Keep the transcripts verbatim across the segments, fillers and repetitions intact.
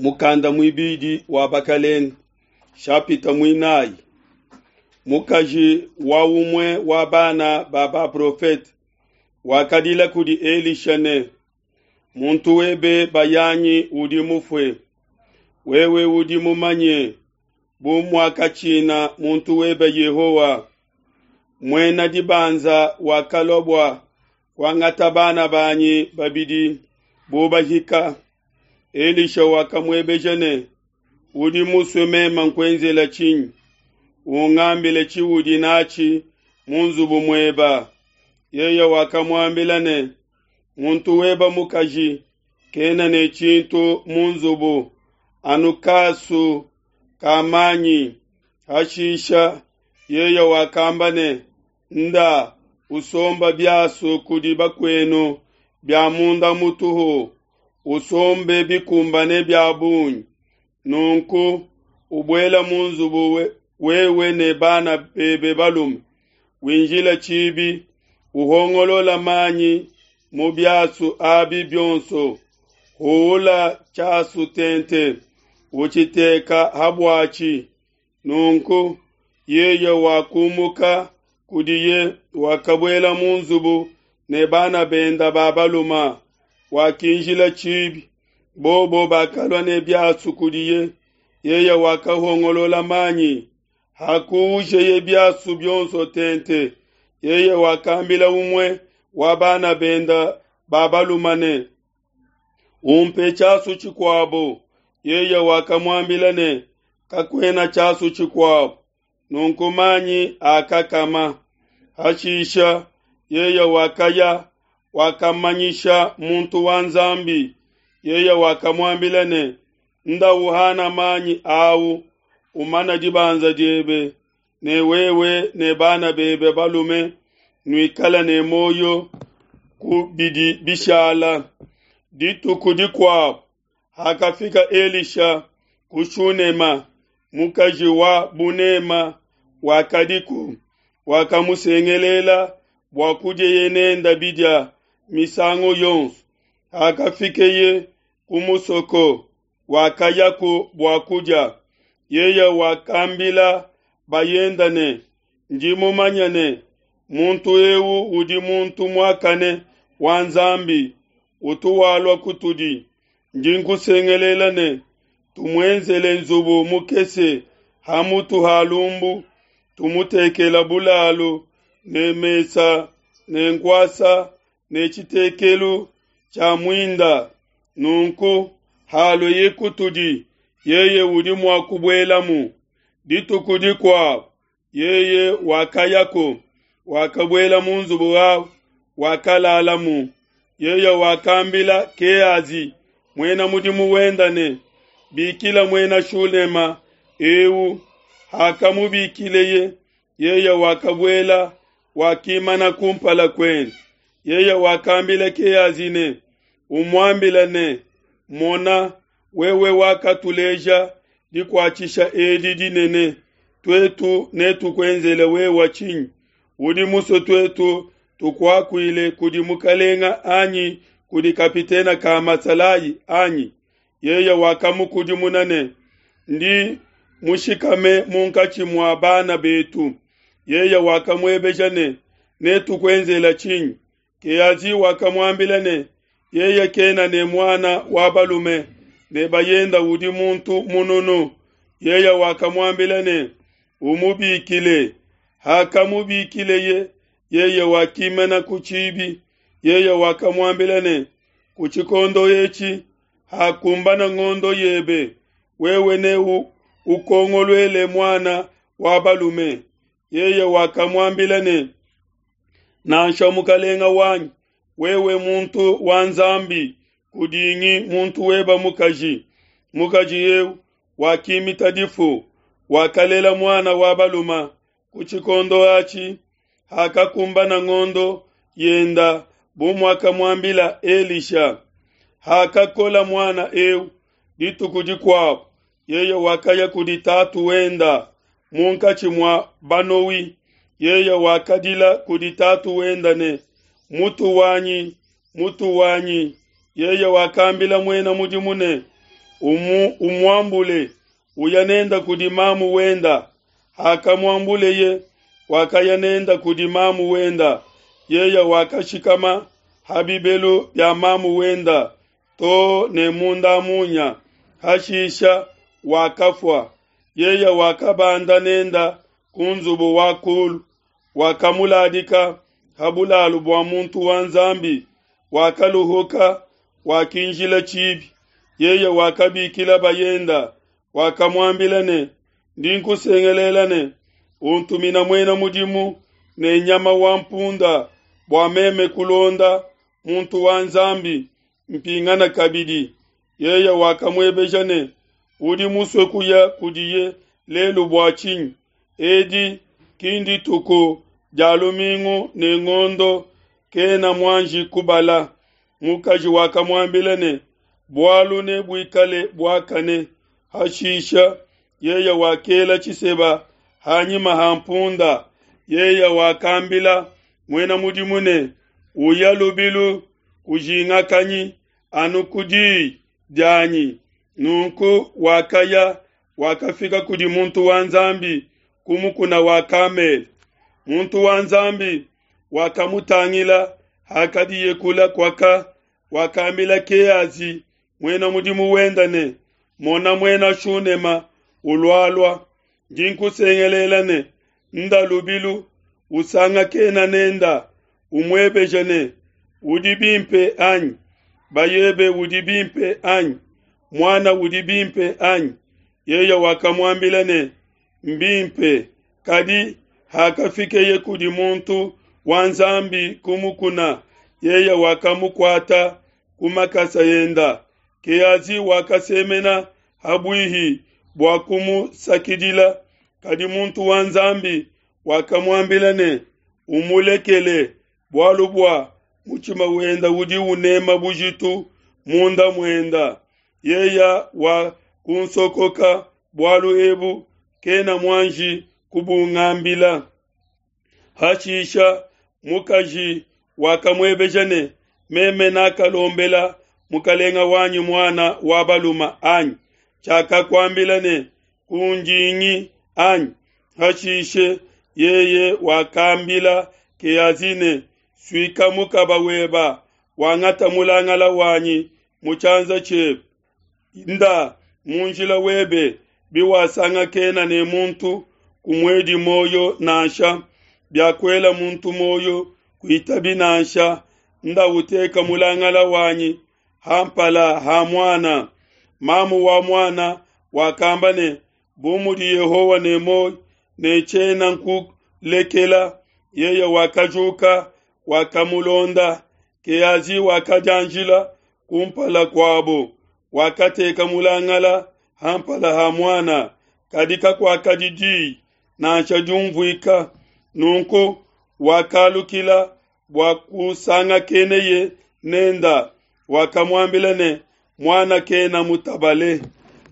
Mukanda muibidi wa Bakelenge, shapita muinayi. Mukaji wa umue wa bana ba baprofete wakadila kudi Elisha ne, muntu webe bayanyi udi mufue. Wewe udi mumanye bu muakatshina muntu webe Yehowa. Muena dibanza wakalua bua kuangata bana banyi babidi bu bahika. Elisha wakamuebeja ne, udi musue meme nkuenzela tshinyi? Ungambile tshiudi natshi mu nzubu mueba. Yeye wakamuambila ne, muntu weba mukaji kena ne tshintu mu nzubu anu kasu ka manyi. Hashisha yeye wakamba ne, nda usomba biasu kudi bakuenu bia munda mutuhu, usombe bikumbane bia bungi. Nunku ubuela mu nzubu we, wewe ne bana bebe balume, winjila tshibi, uhongolola manyi mu biasu abi bionso, huula tshiasu tente, utshiteka ha buatshi. Nunku yeye wakumuka kudiye, wakabuela mu nzubu ne bana benda ba baluma, wakinjila tshibi. Bobo bakalua ne biasu kudiye, yeye wakahongolola manyi. Hakuujeye biasu bionso tente, yeye wakambila umue wa bana benda ba baluma ne, umpe tshiasu tshikuabo. Yeye wakamuambila ne, kakuena tshiasu tshikuabo. Nunku manyi akakama. Hashisha yeye wakaya, wakamanyisha muntu wa Nzambi. Yeye wakamuambila ne, nda uhana manyi au, umana dibanza diebe, ne wewe ne bana bebe balume nuikala ne moyo ku bidi bishala. Dituku dikuabo hakafika Elisha ku Shunema, mukaji wa bunema wakadiku, wakamusengelela bua kudieye nenda bidia misangu yonso. Hakafikeye ku musoko, wakayaku bua kudia. Yeye wakambila bayenda ne, ndi mumanye ne, muntu eu udi muntu muakane wa Nzambi, utu walua kutudi. Ndi nkusengelela ne, tumuenzele nzubu mukese ha mutu ha lumbu, tumutekela bulalu ne mesa ne nkuasa ne tshitekelu tshia muinda. Nunku halueye kutudi, yeye udi mua kubuelamu. Dituku dikuabo yeye wakayako, wakabuela mu nzubu awu, wakalalamu. Yeye wakambila Keazi muena mudimu wenda ne, bikila muena Shunema eu. Hakamubikileye, yeye wakabuela, wakimana kumpala kuende. Yeye wakambila Keazi ne, umuambila ne, mona, wewe wakatuleja dikuatshisha edi dinene, tuetu netukuenzele wewe tshinyi? Udi musue tuetu tukuakuile kudi mukalenga anyi kudi kapitena ka masalayi anyi? Yeye wakamukudimuna ne, ndi mushikame munkatshi mua bana betu. Yeye wakamuebeja ne, netukuenzela tshinyi? Keazi wakamuambila ne, yeye kena ne muana wa balume ne bayenda udi muntu mununu. Yeye wakamuambila ne, umubikile. Hakamubikileye, yeye wakimana ku tshibi. Yeye wakamuambila ne, ku tshikondo etshi hakumbana ngondo yebe, wewe ne ukongoluele muana wa balume. Yeye wakamuambila ne, nansha mukalenga wanyi, wewe muntu wa Nzambi, kudingi muntu weba mukaji. Mukaji eu wakimita difu, wakalela muana wa baluma. Ku tshikondo atshi hakakumbana ngondo yenda bu muakamuambila Elisha. Hakakola muana eu, dituku dikuabo yeye wakaya kudi tatu wenda munkatshi mua banowi. Yeye wakadila kudi tatu wenda ne, mutu wanyi, mutu wanyi. Yeye wakambila muena mudimu ne, Umu umuambule uya nenda kudi mamu wenda. Hakamuambuleye wakaya nenda kudi mamu wenda. Yeya wakashikama ha bibelu bia mamu wenda to ne munda munya. Hashisha wakafua. Yeya wakabanda nenda ku nzubu wa kulu, wakamuladika ha bulalu bua muntu wa Nzambi. Wakaluhuka, wakinjila tshibi. Yeye wakabikila bayenda, wakamuambila ne, ndi nkusengelela ne, untumina muena mudimu ne nyama wa mpunda bua meme kulonda muntu wa Nzambi mpingana kabidi. Yeye wakamuebeja ne, udi musue kuya kudiye lelu bua tshinyi? Edi ki ndituku dia lumingu ne ngondo kena muanji kubala. Mukaji wakamuambila ne, bualu nebuikale buakane. Hashisha yeye wakela tshiseba hanyima ha mpunda. Yeye wakambila muena mudimu ne, uya lubilu, kujingakanyi anu ku diyi dianyi. Nunku wakaya, wakafika kudi muntu wa Nzambi ku mukuna wa Kamele. Muntu wa Nzambi wakamutangila hakadiye kula kwaka, wakambila Keazi muena mudimu wenda ne, mona muena Shunema ulualua, ndi nkusengelela ne, nda lubilu usangakena nenda, umuebeje ne, udi bimpe anyi? Bayebe udi bimpe anyi? Mwana udi bimpe anyi? Yeye wakamuambila ne, mbimpe. Kadi hakafikeye kudi muntu wa Nzambi ku mukuna, yeye wakamukuata ku makasa enda. Keazi wakasemena habuihi bua kumusakidila, kadi muntu wa Nzambi wakamuambila ne, umulekele, bualu bua mutshima wenda udi unema bujitu munda muenda. Yeya wa kunsokoka bualu ebu, kena muanji kubungambila. Hashisha mukaji wakamuebeja ne, meme nakalombela mukalenga wanyi mwana wa baluma anyi? Tshiakakuambila ne, kunjingi anyi? Hashishe yeye wakambila Keazi ne, suika mukaba weba, wangata mulangala wanyi mu tshianza tshiebe, nda mu njila webe, biwasangakena ne muntu kumuedi moyo nansha, biakuela muntu moyo kuitabi nansha, nda uteka mulangala wanyi hampala ha mwana. Mamu wa mwana wakamba ne, bu mudi Yehowa ne moyo ne tshiena nkulekela. Yeye wakajuka wakamulonda. Keazi wakajanjila kumpala kuabo, wakateka mulangala hampala ha mwana, kadi kakuakadi diyi nansha diumvuika. Nunku wakalukila bua kusangakeneye nenda, wakamuambila ne, mwana kena mutabale.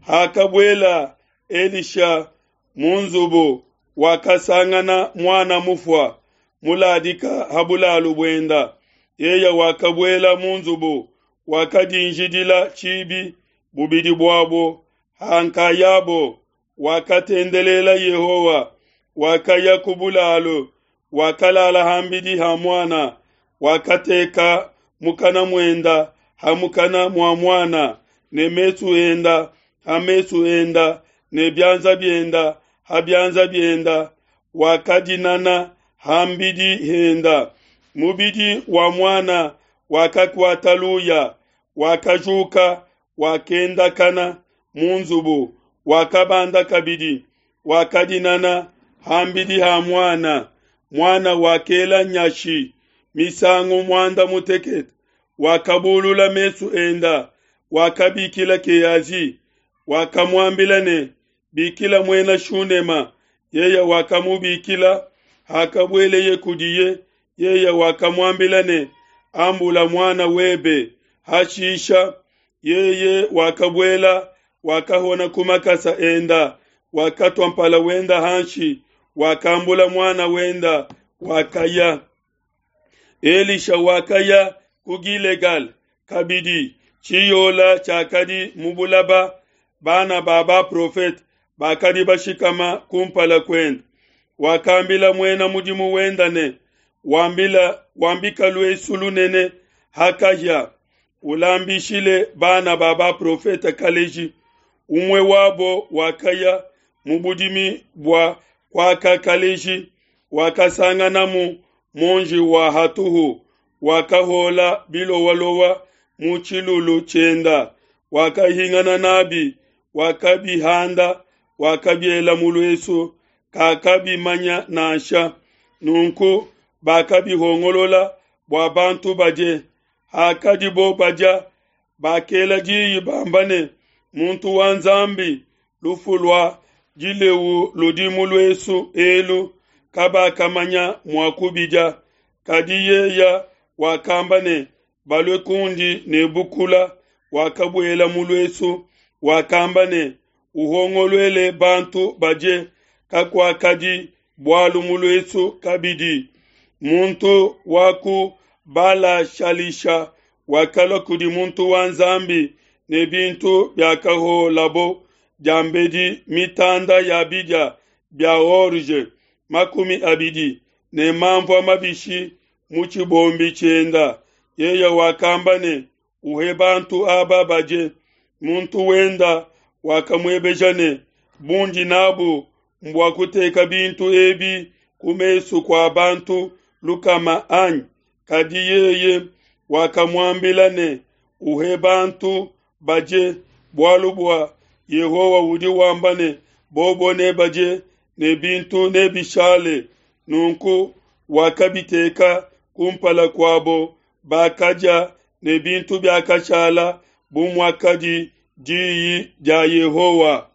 Hakabuela Elisha mu nzubu, wakasangana mwana mufua muladika ha bulalu buenda. Yeye wakabuela mu nzubu, wakadinjidila tshibi bubidi buabo hankayabo, wakatendelela Yehowa. Wakaya ku bulalu, wakalala hambidi ha mwana, wakateka mukana muenda ha mukana mua mwana, ne mesu enda ha mesu enda, ne bianza bienda ha bianza bienda, wakadinana hambidi henda. Mubidi wa mwana wakakuata luya, wakajuka, wakendakana mu nzubu, wakabanda kabidi, wakadinana hambidi ha mwana. Mwana wakela nyashi misangu mwanda mutekete, wakabulula mesu enda, wakabikila Keazi, wakamuambila ne, bikila muena Shunema. Yeye wakamubikila. Hakabueleye kudiye, yeye wakamuambila ne, ambula mwana webe. Hashisha yeye wakabuela, wakahona ku makasa enda, wakatwa mpala wenda hanshi, wakambula mwana wenda, wakaya. Elisha wakaya ku Gilegal kabidi, tshiyola tshiakadi mu bulaba Bana ba baprofete bakadi bashikama kumpala kuende. Wakambila muena mudimu wenda ne, Wambila wambika luesu lunene ha kahia, ulambishile bana ba baprofete kaleji. Umue wabo wakaya mu budimi bua kuaka kaleji, wakasanganamu muonji wa hatuhu, wakahola bilowalowa mu tshilulu tshienda, wakahingana nabi, wakabihanda, wakabiela mu luesu, kakabimanya nansha. Nunku bakabihongolola bua bantu badie. Hakadibo badia, bakela diyi bamba ne, Muntu wa Nzambi, lufu lua dilewu ludi mu luesu elu, kabakamanya mua kubidia. Kadi yeya wakamba ne, Balue kundi ne bukula. Wakabuela mu luesu, wakamba ne, Uhongoluele bantu badie. Kakuakadi bualu mu luesu kabidi. Muntu wa ku Bala-shalisha wakalua kudi muntu wa Nzambi ne bintu biakaholabo diambedi mitanda ya bidia bia orge makumi abidi ne manvua mabishi mu tshibombi tshienda. Yeye wakamba ne, Uhe bantu aba badie. Muntu wenda wakamuebeja ne, Bundi nabu mbua kuteka bintu ebi ku mesu kua bantu lukama anyi? Kadi yeye wakamuambila ne, Uhe bantu badie, bualu bua Yehowa udi wamba ne, Bobo nebadie ne bintu nebishale. Nunku wakabiteka kumpala kuabo, bakadia ne bintu biakashala bu muakadi diyi dia Yehowa.